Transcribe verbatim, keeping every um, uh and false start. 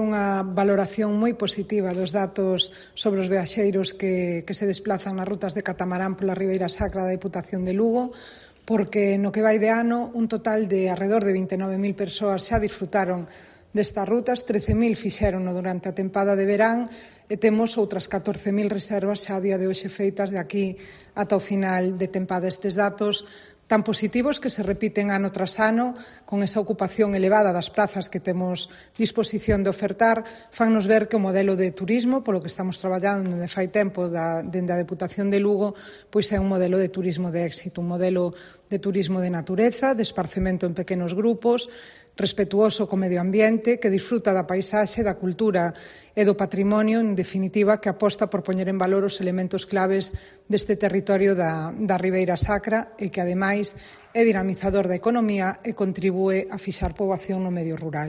unha valoración moi positiva dos datos sobre os viaxeiros que, que se desplazan nas rutas de catamarán pola Ribeira Sacra da Deputación de Lugo, porque no que vai de ano un total de alrededor de vinte e nove mil persoas xa disfrutaron destas rutas, trece mil fixérono durante a tempada de verán e temos outras catorce mil reservas xa a día de hoxe feitas de aquí ata o final de tempada. Estes datos tan positivos que se repiten ano tras ano, con esa ocupación elevada das prazas que temos disposición de ofertar, fannos ver que o modelo de turismo, polo que estamos traballando dende fai tempo da, dende a Deputación de Lugo, pois é un modelo de turismo de éxito, un modelo de turismo de natureza, de esparcemento en pequenos grupos, respetuoso co medio ambiente, que disfruta da paisaxe, da cultura e do patrimonio, en definitiva, que aposta por poñer en valor os elementos claves deste territorio da, da Ribeira Sacra e que, ademais, é dinamizador da economía e contribúe a fixar poboación no medio rural.